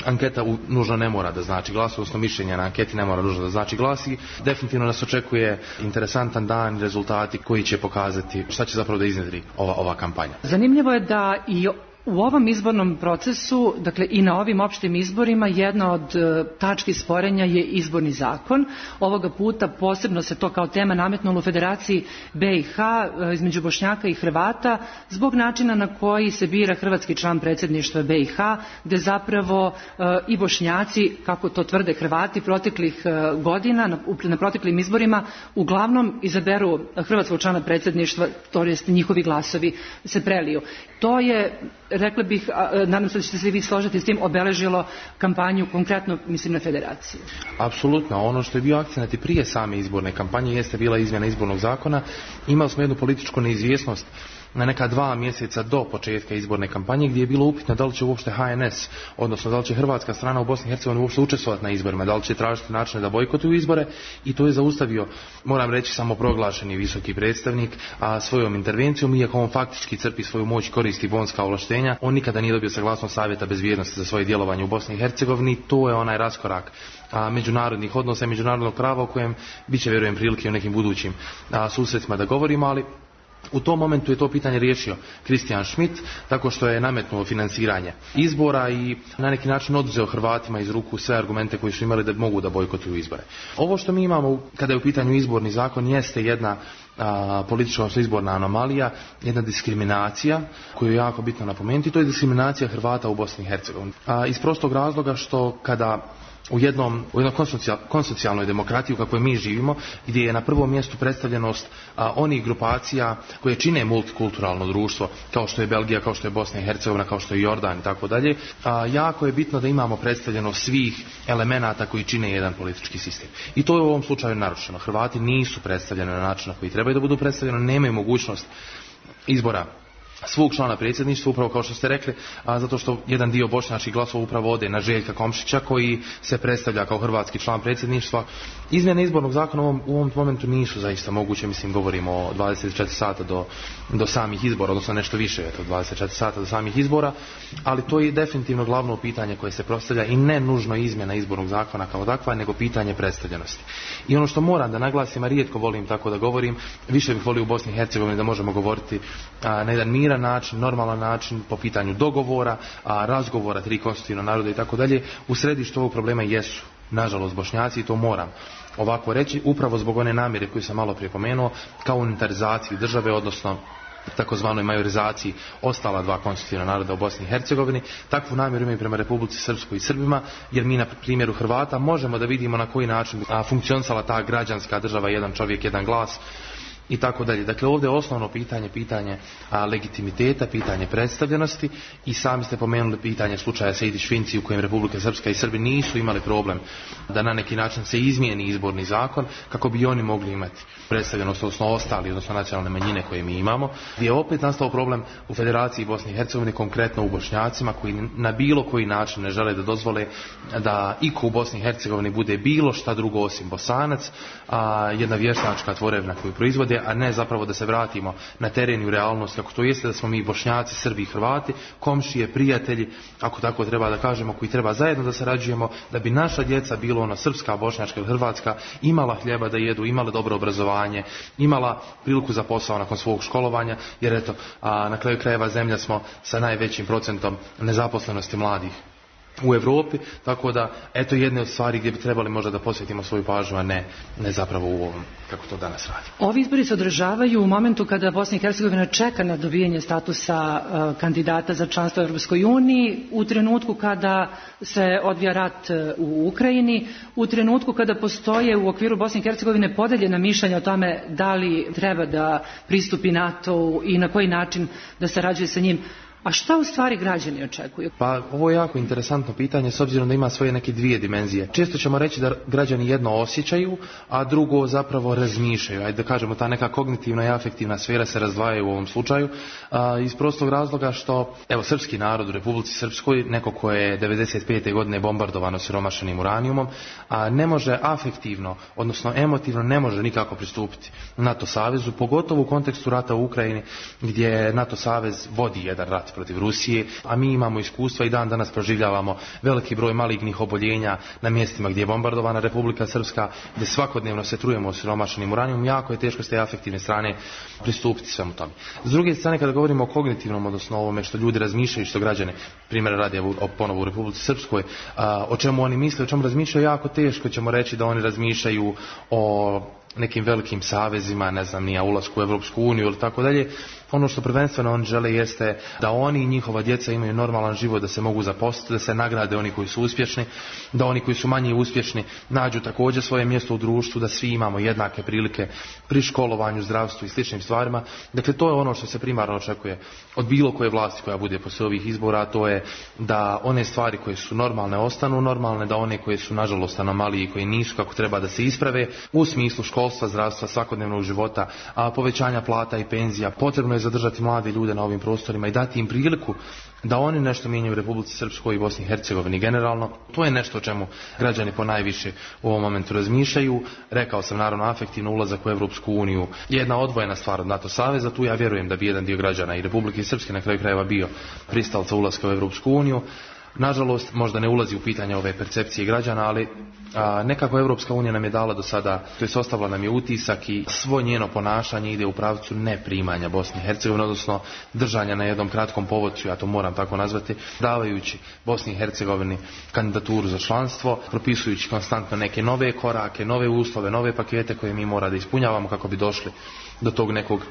anketa u, nužno ne mora da znači glas, odnosno mišljenje na anketi ne mora nužno da znači glas, i definitivno nas očekuje interesantan dan, rezultati koji će pokazati šta će zapravo da iznjedri ova, ova kampanja. Zanimljivo je da i u ovom izbornom procesu, dakle i na ovim opštim izborima, jedna od e, tački sporenja je izborni zakon. Ovoga puta posebno se to kao tema nametnulo u Federaciji be i ha e, između Bošnjaka i Hrvata zbog načina na koji se bira hrvatski član predsjedništva be i ha, gde zapravo e, i Bošnjaci, kako to tvrde Hrvati proteklih e, godina, na, na proteklim izborima, uglavnom izaberu hrvatskog člana predsjedništva, to jest njihovi glasovi se preliju. To je, rekla bih, nadam se da ćete se vi složiti s tim, obeležilo kampanju, konkretno mislim na Federaciju. Apsolutno. Ono što je bio akcenat i prije same izborne kampanje jeste bila izmjena izbornog zakona. Imali smo jednu političku neizvjesnost na neka dva mjeseca do početka izborne kampanje, gdje je bilo upitno da li će uopšte ha en es, odnosno da li će hrvatska strana u Bosni i Hercegovini uopšte učestvovati na izborima, da li će tražiti načine da bojkotuju izbore, i to je zaustavio, moram reći, samoproglašeni visoki predstavnik, a svojom intervencijom, iako on faktički crpi svoju moć, koristi bonska ovlaštenja, on nikada nije dobio saglasnost Savjeta bezbjednosti za svoje djelovanje u Bosni i Hercegovini. To je onaj raskorak a, međunarodnih odnosa i međunarodnog prava o kojem bit će, vjerujem, prilike u nekim budućim a, susretima da govorimo, ali U tom momentu je to pitanje riješio Christian Schmidt tako što je nametnuo finansiranje izbora i na neki način oduzeo Hrvatima iz ruku sve argumente koji su imali da mogu da bojkotuju izbore. Ovo što mi imamo kada je u pitanju izborni zakon jeste jedna a, politička izborna anomalija, jedna diskriminacija koju je jako bitno napomenuti, to je diskriminacija Hrvata u Bosni i Hercegovini. A, iz prostog razloga što kada u jednom, u jednoj konsocijalnoj demokratiji u kakvoj mi živimo, gdje je na prvom mjestu predstavljenost a, onih grupacija koje čine multikulturalno društvo, kao što je Belgija, kao što je Bosna i Hercegovina, kao što je Jordan i tako dalje, jako je bitno da imamo predstavljenost svih elemenata koji čine jedan politički sistem. I to je u ovom slučaju narušeno. Hrvati nisu predstavljeni na način na koji trebaju da budu predstavljeni, nemaju mogućnost izbora svog člana predsjedništva, upravo kao što ste rekli, a zato što jedan dio bošnjačkih glasova upravo ode na Željka Komšića koji se predstavlja kao hrvatski član predsjedništva. Izmjene izbornog zakona u ovom, u ovom momentu nisu zaista moguće, mislim govorimo o dvadeset četiri sata do, do samih izbora, odnosno nešto više od dvadeset četiri sata do samih izbora, ali to je definitivno glavno pitanje koje se postavlja i ne nužno izmjena izbornog zakona kao takva, nego pitanje predstavljenosti. I ono što moram da naglasim, a rijetko volim tako da govorim, više bih volio u Bosni i Hercegovini da možemo govoriti a, na jedan miran način, normalan način, po pitanju dogovora, a, razgovora tri konstitutivna naroda i tako dalje. U središtu ovog problema jesu, nažalost, Bošnjaci, i to moram ovako reći, upravo zbog one namjere koju sam malo prije pomenuo, kao unitarizaciji države, odnosno takozvanoj majorizaciji ostala dva konstitutivna naroda u Bosni i Hercegovini. Takvu namjeru imaju prema Republici Srpskoj i Srbima, jer mi na primjeru Hrvata možemo da vidimo na koji način a, funkcionisala ta građanska država, jedan čovjek, jedan glas i tako dalje. Dakle, ovdje je osnovno pitanje, pitanje a, legitimiteta, pitanje predstavljenosti, i sami ste pomenuli pitanje slučaja Sejdić-Finci u kojem Republika Srpska i Srbi nisu imali problem da na neki način se izmijeni izborni zakon kako bi oni mogli imati predstavljenost, odnosno ostali, odnosno nacionalne manjine koje mi imamo, gdje je opet nastao problem u Federaciji Bosne i Hercegovine, konkretno u Bošnjacima, koji na bilo koji način ne žele da dozvole da iko u Bosni i Hercegovini bude bilo šta drugo osim Bosanac, a jedna vještačka tvorevina koju proizvode, a ne zapravo da se vratimo na teren i u realnost kako to jeste, da smo mi Bošnjaci, Srbi i Hrvati, komšije, prijatelji, ako tako treba da kažemo, koji treba zajedno da sarađujemo da bi naša djeca, bilo ona srpska, bošnjačka ili hrvatska, imala hljeba da jedu, imala dobro obrazovanje, imala priliku za posao nakon svog školovanja, jer eto, a na kraju krajeva zemlja smo sa najvećim procentom nezaposlenosti mladih u Europi, tako da eto jedne od stvari gdje bi trebali možda da posvetimo svoju pažnju, a ne, ne zapravo u ovom kako to danas radi. Ovi izbori se održavaju u momentu kada Bosna i Hercegovina čeka na dobijanje statusa uh, kandidata za članstvo u Europskoj uniji, u trenutku kada se odvija rat u Ukrajini, u trenutku kada postoje u okviru Bosne i Hercegovine podeljena mišljenja o tome da li treba da pristupi NATO i na koji način da sarađuje sa njim. A šta u stvari građani očekuju? Pa ovo je jako interesantno pitanje, s obzirom da ima svoje neke dvije dimenzije. Često ćemo reći da građani jedno osjećaju, a drugo zapravo razmišljaju. Ajde da kažemo, ta neka kognitivna i afektivna sfera se razdvajaju u ovom slučaju, a, iz prostog razloga što, evo, srpski narod u Republici Srpskoj, neko ko je devedeset pete godine bombardovano siromašenim uranijumom, a ne može afektivno, odnosno emotivno ne može nikako pristupiti NATO savezu, pogotovo u kontekstu rata u Ukrajini, gdje NATO savez vodi jedan rat protiv Rusije, a mi imamo iskustva i dan danas proživljavamo veliki broj malignih oboljenja na mjestima gdje je bombardovana Republika Srpska, gdje svakodnevno se trujemo siromašenim uranijumom. Jako je teško s te afektivne strane pristupiti svemu tome. S druge strane, kada govorimo o kognitivnom, odnosno ovome što ljudi razmišljaju, što građane, primjer radi o ponovu u Republici Srpskoj, a, o čemu oni misle, o čemu razmišljaju, jako teško ćemo reći da oni razmišljaju o nekim velikim savezima, ne znam, ni ulasku u Evropsku uniju ili tako dalje. Ono što prvenstveno oni žele jeste da oni i njihova djeca imaju normalan život, da se mogu zaposliti, da se nagrade oni koji su uspješni, da oni koji su manje uspješni nađu također svoje mjesto u društvu, da svi imamo jednake prilike pri školovanju, zdravstvu i sličnim stvarima. Dakle, to je ono što se primarno očekuje od bilo koje vlasti koja bude poslije ovih izbora, a to je da one stvari koje su normalne ostanu normalne, da one koje su nažalost anomalije i koje nisu kako treba da se isprave u smislu školstva, zdravstva, svakodnevnog života, a povećanja plata i penzija. Potrebno je zadržati mlade ljude na ovim prostorima i dati im priliku da oni nešto mijenjaju u Republici Srpskoj i Bosni i Hercegovini generalno. To je nešto o čemu građani ponajviše u ovom momentu razmišljaju. Rekao sam, naravno, afektivno ulazak u Evropsku uniju je jedna odvojena stvar od NATO saveza. Tu ja vjerujem da bi jedan dio građana i Republike Srpske na kraju krajeva bio pristalica ulaska u Evropsku uniju. Nažalost, možda ne ulazi u pitanje ove percepcije građana, ali a, nekako Evropska unija nam je dala do sada, to jest ostavila nam je utisak i svo njeno ponašanje ide u pravcu neprimanja Bosne i Hercegovine, odnosno držanja na jednom kratkom povodcu, ja to moram tako nazvati, davajući Bosni i Hercegovini kandidaturu za članstvo, propisujući konstantno neke nove korake, nove uslove, nove pakete koje mi mora da ispunjavamo kako bi došli do tog nekog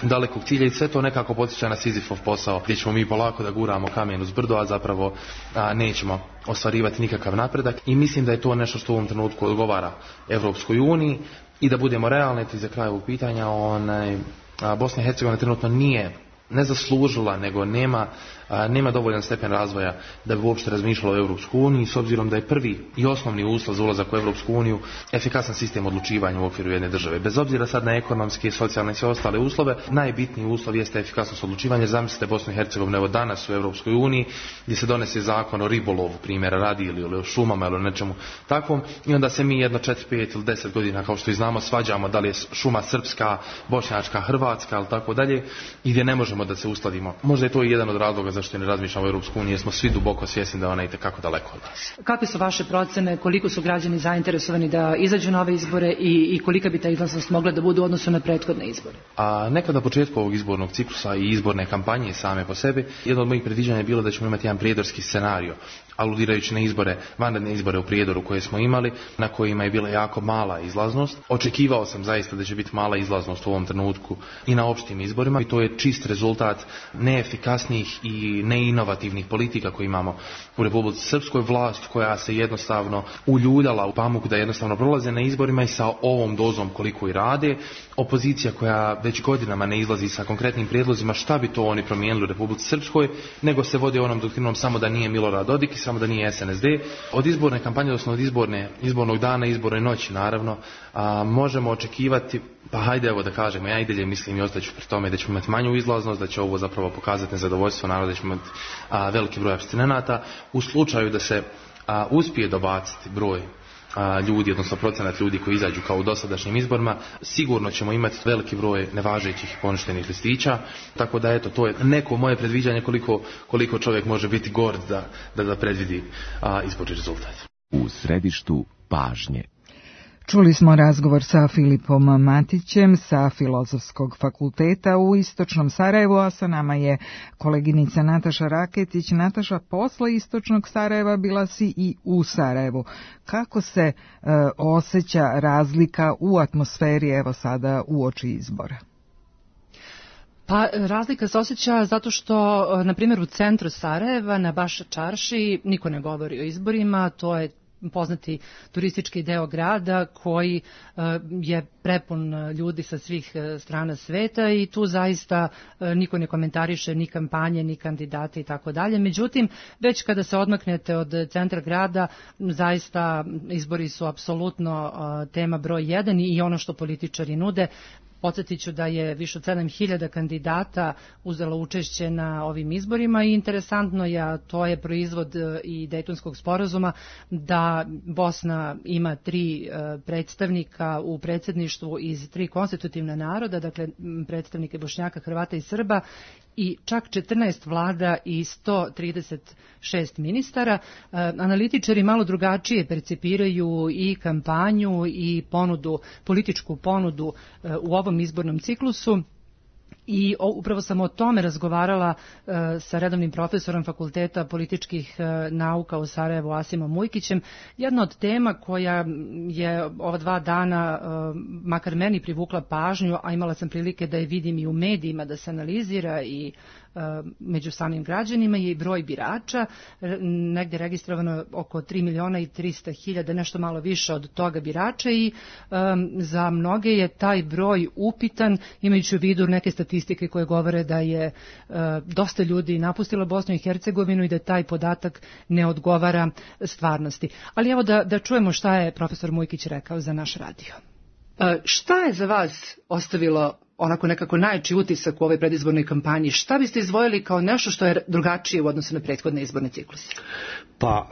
dalekog cilja i sve to nekako podsjeća na Sizifov posao gdje ćemo mi polako da guramo kamen uz brdo, a zapravo a, nećemo ostvarivati nikakav napredak i mislim da je to nešto što u ovom trenutku odgovara Evropskoj uniji i da budemo realni i za kraj ovog pitanja, onaj, a, Bosna i Hercegovina trenutno nije ne zaslužila, nego nema, a, nema dovoljan stepen razvoja da bi uopšte razmišljala o Europskoj uniji, s obzirom da je prvi i osnovni uslov za ulazak u Europsku uniju efikasan sistem odlučivanja u okviru jedne države. Bez obzira sad na ekonomske, socijalne i sve ostale uslove, najbitniji uslov jeste efikasnost odlučivanja. Zamislite Bosnu i Hercegovinu evo danas u Europskoj uniji gdje se donese zakon o ribolovu, primjera radi, ili o šumama ili o nečemu takvom, i onda se mi jedno četiri, pet ili deset godina, kao što i znamo, svađamo da li je šuma srpska, bošnjačka, hrvatska ili tako dalje, i gdje ne možemo da se uskladimo. Možda je to i jedan od razloga zašto ne razmišljamo o Europskoj uniji, jer smo svi duboko svjesni da ona ide kako daleko od nas. Kakve su vaše procene, koliko su građani zainteresovani da izađu na ove izbore i, i kolika bi ta izlaznost mogla da bude u odnosu na prethodne izbore? A nekad na početku ovog izbornog ciklusa i izborne kampanje same po sebi, jedno od mojih predviđanja je bilo da ćemo imati jedan prijedorski scenario, aludirajući na izbore, vanredne izbore u Prijedoru koje smo imali, na kojima je bila jako mala izlaznost. Očekivao sam zaista da će biti mala izlaznost u ovom trenutku i na opštim izborima, i to je čist rezultat neefikasnih i neinovativnih politika koje imamo u Republici Srpskoj. Vlast koja se jednostavno uljuljala u pamuk da jednostavno prolaze na izborima i sa ovom dozom koliko i rade. Opozicija koja već godinama ne izlazi sa konkretnim prijedlozima šta bi to oni promijenili u Republici Srpskoj, nego se vode onom doktrinom samo da nije Milorad Dodik i samo da nije S N S D. Od izborne kampanje, odnosno od izborne, izbornog dana, izborne noći naravno, a, možemo očekivati, pa hajde evo da kažemo, ja i dalje mislim i ostaću pri tome da ćemo imati manju izlaznost, da će ovo zapravo pokazati nezadovoljstvo naroda, da ćemo imati a, veliki broj apstinenata. U slučaju da se a, uspije dobaciti broj a, ljudi, odnosno procenat ljudi koji izađu kao u dosadašnjim izborima, sigurno ćemo imati veliki broj nevažećih i poništenih listića, tako da eto, to je neko moje predviđanje koliko, koliko čovjek može biti gord da, da, da predvidi a, izborni rezultat. U središtu pažnje. Čuli smo razgovor sa Filipom Matićem sa Filozofskog fakulteta u Istočnom Sarajevu, a sa nama je koleginica Nataša Raketić. Nataša, posle Istočnog Sarajeva bila si i u Sarajevu. Kako se e, osjeća razlika u atmosferi evo sada uoči izbora? Pa razlika se osjeća zato što, na primjer, u centru Sarajeva, na Baša Čarši, niko ne govori o izborima, to je poznati turistički deo grada koji uh, je prepun ljudi sa svih uh, strana sveta i tu zaista uh, niko ne komentariše ni kampanje, ni kandidate i tako dalje. Međutim, već kada se odmaknete od centra grada, zaista izbori su apsolutno uh, tema broj jedan i ono što političari nude. Podsjetit ću da je više od sedam hiljada kandidata uzelo učešće na ovim izborima i interesantno je, a to je proizvod i Dejtonskog sporazuma, da Bosna ima tri predstavnika u predsjedništvu iz tri konstitutivna naroda, dakle predstavnike Bošnjaka, Hrvata i Srba, i čak četrnaest vlada i sto trideset šest ministara. Analitičari malo drugačije percipiraju i kampanju i ponudu, političku ponudu u ovom izbornom ciklusu. I upravo sam o tome razgovarala uh, sa redovnim profesorom Fakulteta političkih uh, nauka u Sarajevu, Asimom Ujkićem. Jedna od tema koja je ova dva dana uh, makar meni privukla pažnju, a imala sam prilike da je vidim i u medijima, da se analizira i uh, među samim građanima, je i broj birača. Negdje registrovano oko tri miliona i trista hiljada, nešto malo više od toga birača, i um, za mnoge je taj broj upitan, imajući u vidu neke statistike koje govore da je uh, dosta ljudi napustilo Bosnu i Hercegovinu i da taj podatak ne odgovara stvarnosti. Ali evo da, da čujemo šta je profesor Mujkić rekao za naš radio. Uh, šta je za vas ostavilo onako nekako najjači utisak u ovoj predizbornoj kampanji. Šta biste izdvojili kao nešto što je drugačije u odnosu na prethodne izborne cikluse? Pa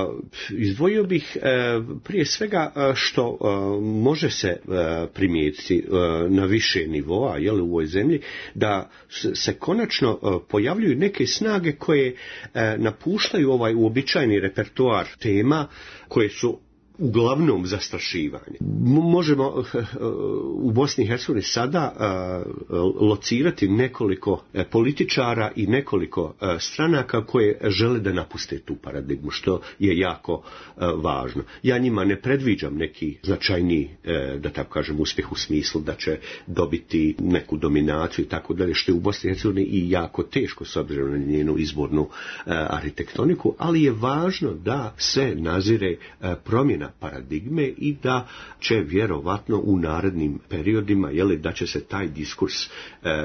uh, izdvojio bih uh, prije svega uh, što uh, može se uh, primijetiti uh, na više nivoa, jel, u ovoj zemlji, da se konačno uh, pojavljuju neke snage koje uh, napuštaju ovaj uobičajeni repertoar tema koje su uglavnom zastrašivanje. Možemo u Bosni i Hercegovini sada locirati nekoliko političara i nekoliko stranaka koje žele da napuste tu paradigmu, što je jako važno. Ja njima ne predviđam neki značajni, da tako kažem, uspjeh u smislu da će dobiti neku dominaciju i tako dalje, što je u Bosni i Hercegovini i jako teško s obzirom na njenu izbornu arhitektoniku, ali je važno da se nazire promjena paradigme i da će vjerovatno u narednim periodima, jeli, da će se taj diskurs e,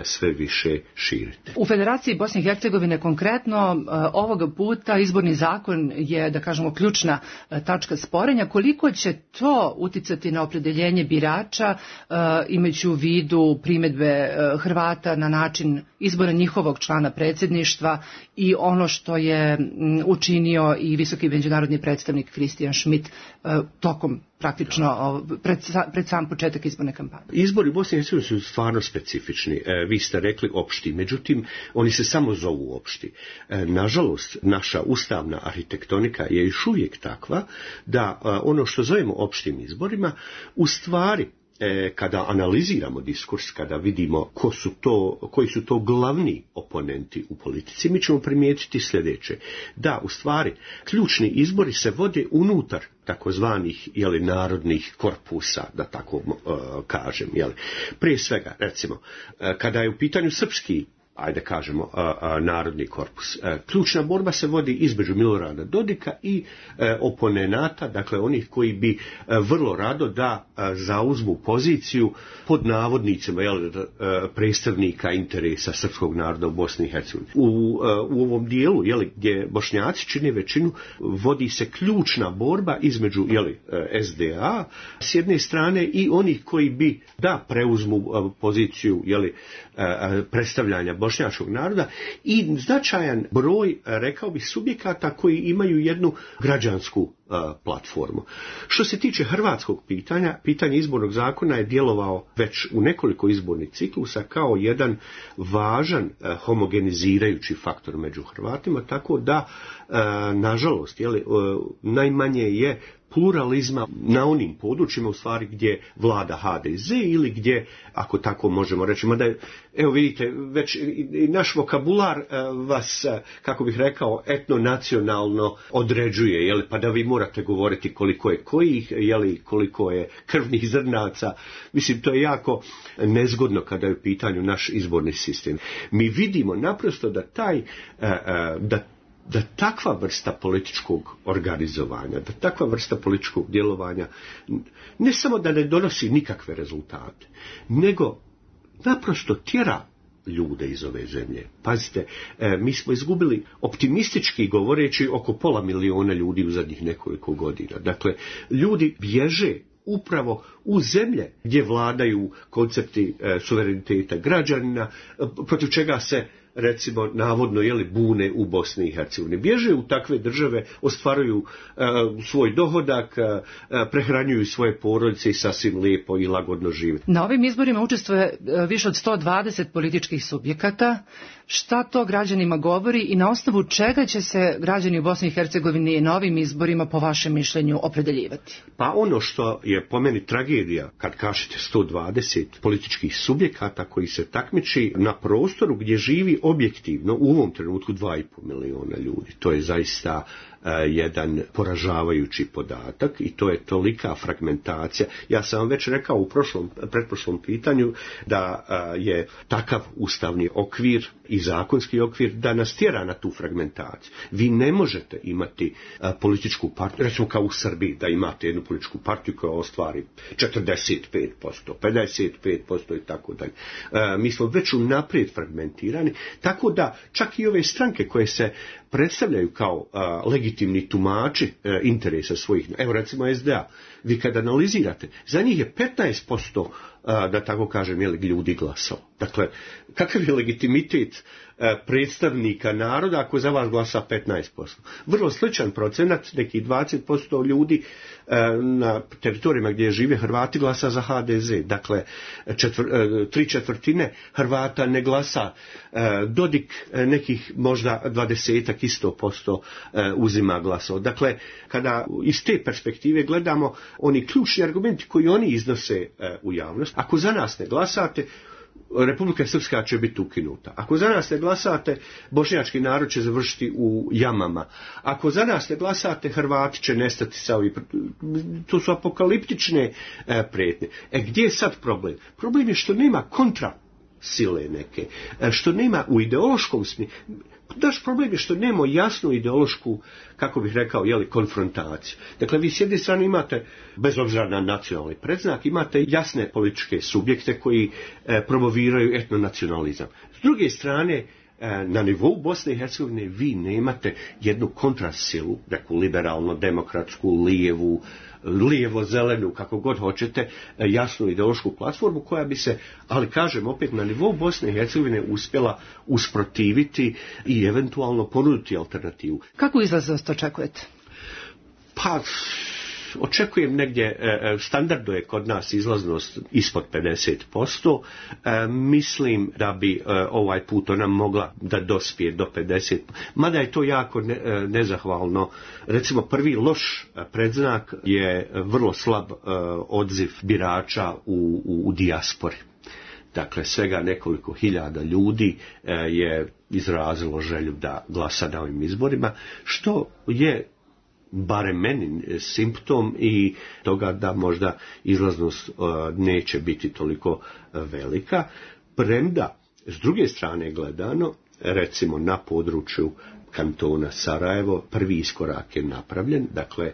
sve više širiti. U Federaciji Bosne i Hercegovine konkretno e, ovoga puta izborni zakon je, da kažemo, ključna e, tačka sporenja. Koliko će to uticati na opredeljenje birača, e, imajući u vidu primjedbe e, Hrvata na način izbora njihovog člana predsjedništva i ono što je m, učinio i visoki međunarodni predstavnik Christian Schmidt e, tokom praktično pred, pred sam početak izborne kampanje. Izbori u Bosni i Hercegovini su stvarno specifični. E, vi ste rekli opšti, međutim oni se samo zovu opšti. E, nažalost, naša ustavna arhitektonika je još uvijek takva da e, ono što zovemo opštim izborima u stvari kada analiziramo diskurs, kada vidimo ko su to, koji su to glavni oponenti u politici, mi ćemo primijetiti sljedeće. Da, u stvari, ključni izbori se vode unutar takozvanih, jeli, narodnih korpusa, da tako uh, kažem. Jeli. Prije svega, recimo, uh, kada je u pitanju srpski, ajde kažemo, a, a, narodni korpus. E, ključna borba se vodi između Milorada Dodika i e, oponenata, dakle onih koji bi e, vrlo rado da e, zauzmu poziciju pod navodnicima, jel, e, predstavnika interesa srpskog naroda u Bosni i Hercegovini. U, e, u ovom dijelu, jel, gdje Bošnjaci čine većinu, vodi se ključna borba između, jel, S D A s jedne strane i onih koji bi da preuzmu e, poziciju, jel, e, predstavljanja bošnjačkog naroda i značajan broj, rekao bih, subjekata koji imaju jednu građansku uh, platformu. Što se tiče hrvatskog pitanja, pitanje izbornog zakona je djelovao već u nekoliko izbornih ciklusa kao jedan važan uh, homogenizirajući faktor među Hrvatima, tako da, uh, nažalost, jeli, uh, najmanje je pluralizma na onim područjima u stvari gdje vlada H D Z ili gdje, ako tako možemo reći, mada je, evo vidite, već i naš vokabular vas, kako bih rekao, etno-nacionalno određuje, jeli, pa da vi morate govoriti koliko je kojih, jeli, koliko je krvnih zrnaca. Mislim, to je jako nezgodno kada je u pitanju naš izborni sistem. Mi vidimo naprosto da taj, da da takva vrsta političkog organizovanja, da takva vrsta političkog djelovanja ne samo da ne donosi nikakve rezultate, nego naprosto tjera ljude iz ove zemlje. Pazite, e, mi smo izgubili, optimistički govoreći, oko pola miliona ljudi u zadnjih nekoliko godina. Dakle, ljudi bježe upravo u zemlje gdje vladaju koncepti e, suvereniteta građanina, e, protiv čega se, recimo, navodno, jeli, bune u Bosni i Hercegovini. Bježe u takve države, ostvaruju uh, svoj dohodak, uh, prehranjuju svoje porodice i sasvim lijepo i lagodno žive. Na ovim izborima učestvuje uh, više od sto dvadeset političkih subjekata. Šta to građanima govori i na osnovu čega će se građani u Bosni i Hercegovini na ovim izborima, po vašem mišljenju, opredeljivati? Pa ono što je po meni tragedija, kad kažete sto dvadeset političkih subjekata koji se takmiči na prostoru gdje živi objektivno u ovom trenutku dva i pol miliona ljudi. To je zaista uh, jedan poražavajući podatak i to je tolika fragmentacija. Ja sam vam već rekao u prošlom, pretprošlom pitanju da uh, je takav ustavni okvir i zakonski okvir da nas tjera na tu fragmentaciju. Vi ne možete imati uh, političku partiju, recimo kao u Srbiji, da imate jednu političku partiju koja ostvari četrdeset pet posto, pedeset pet posto i tako dalje. Uh, mi smo već unaprijed fragmentirani, tako da čak i ove stranke koje se predstavljaju kao uh, legitimni tumači uh, interesa svojih, evo recimo S D A, vi kad analizirate, za njih je petnaest posto da tako kažem, je ljudi glasao. Dakle, kakav je legitimitet predstavnika naroda ako za vas glasa petnaest posto? Vrlo sličan procenat, neki dvadeset posto ljudi na teritorijama gdje žive Hrvati glasa za ha de ze. Dakle, četvr, tri četvrtine Hrvata ne glasa. Dodik nekih možda dvadesetak isto posto uzima glasova. Dakle, kada iz te perspektive gledamo, oni ključni argumenti koji oni iznose u javnost, ako za nas ne glasate, Republika Srpska će biti ukinuta. Ako za nas ne glasate, bošnjački narod će završiti u jamama. Ako za nas ne glasate, Hrvati će nestati sa ovih. To su apokaliptične e, prijetnje. E gdje je sad problem? Problem je što nema kontra sile neke, što nema u ideološkom smislu. Naš problem je što nema jasnu ideološku, kako bih rekao, jeli, konfrontaciju. Dakle, vi s jedne strane imate, bez obzira na nacionalni predznak, imate jasne političke subjekte koji e, promoviraju etnonacionalizam. S druge strane, e, na nivou Bosne i Hercegovine vi nemate jednu kontrasilu, neku liberalno-demokratsku, lijevu, lijevo-zelenu, kako god hoćete, jasnu ideološku platformu koja bi se, ali kažem opet, na nivou Bosne i Hercegovine uspjela usprotiviti i eventualno ponuditi alternativu. Kako izlaznost očekujete? Pa, očekujem negdje, standardno je kod nas izlaznost ispod pedeset posto, mislim da bi ovaj put ona mogla da dospije do pedeset posto, mada je to jako ne, nezahvalno. Recimo, prvi loš predznak je vrlo slab odziv birača u, u, u dijaspori. Dakle, svega nekoliko hiljada ljudi je izrazilo želju da glasa na ovim izborima, što je barem meni simptom i toga da možda izlaznost uh, neće biti toliko uh, velika, premda s druge strane gledano, recimo na području kantona Sarajevo, prvi iskorak je napravljen, dakle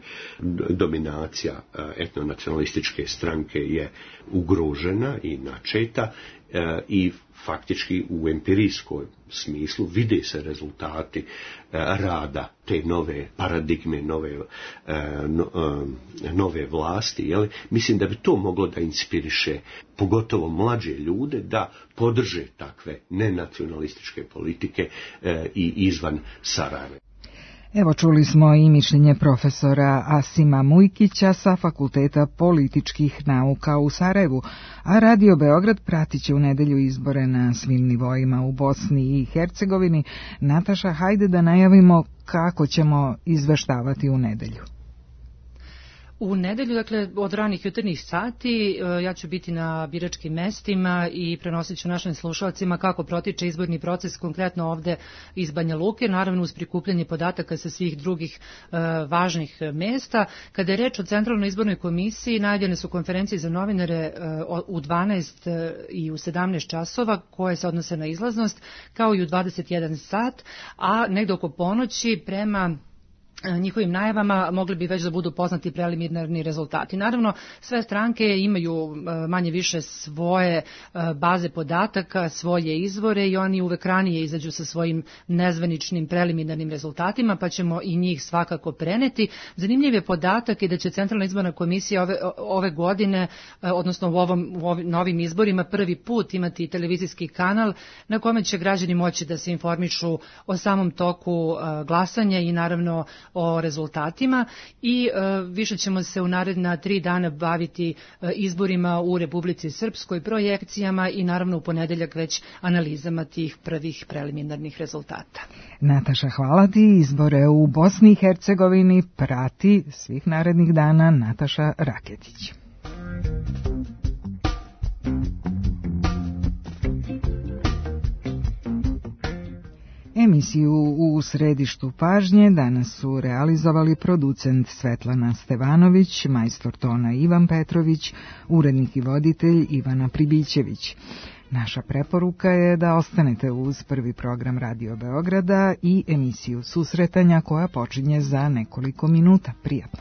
dominacija uh, etnonacionalističke stranke je ugrožena i načeta uh, i faktički u empirijskom smislu vide se rezultati e, rada te nove paradigme, nove, e, no, e, nove vlasti. Jel? Mislim da bi to moglo da inspiriše pogotovo mlađe ljude da podrže takve nenacionalističke politike e, i izvan Sarajeva. Evo, čuli smo i mišljenje profesora Asima Mujkića sa Fakulteta političkih nauka u Sarajevu, a Radio Beograd pratit će u nedelju izbore na svim nivoima u Bosni i Hercegovini. Nataša, hajde da najavimo kako ćemo izveštavati u nedelju. U nedelju, dakle, od ranih jutarnjih sati, ja ću biti na biračkim mestima i prenosit ću našim slušalcima kako protiče izborni proces konkretno ovde iz Banja Luke, naravno uz prikupljanje podataka sa svih drugih e, važnih mesta. Kada je reč o Centralnoj izbornoj komisiji, najavljene su konferencije za novinare e, u dvanaest i u sedamnaest časova koje se odnose na izlaznost, kao i u dvadeset jedan sat, a negde oko ponoći prema njihovim najavama mogli bi već da budu poznati preliminarni rezultati. Naravno, sve stranke imaju manje više svoje baze podataka, svoje izvore i oni uvek ranije izađu sa svojim nezvaničnim preliminarnim rezultatima, pa ćemo i njih svakako preneti. Zanimljiv je podatak i da će Centralna izborna komisija ove, ove godine, odnosno u ovom, u ovim novim izborima, prvi put imati televizijski kanal na kome će građani moći da se informišu o samom toku glasanja i naravno o rezultatima i e, više ćemo se u naredna tri dana baviti e, izborima u Republici Srpskoj, projekcijama i naravno u ponedeljak već analizama tih prvih preliminarnih rezultata. Nataša, hvala ti. Izbore u Bosni i Hercegovini prati svih narednih dana Nataša Raketić. Emisiju u središtu pažnje danas su realizovali producent Svetlana Stevanović, majstor tona Ivan Petrović, urednik i voditelj Ivana Pribićević. Naša preporuka je da ostanete uz prvi program Radio Beograda i emisiju Susretanja koja počinje za nekoliko minuta. Prijatno.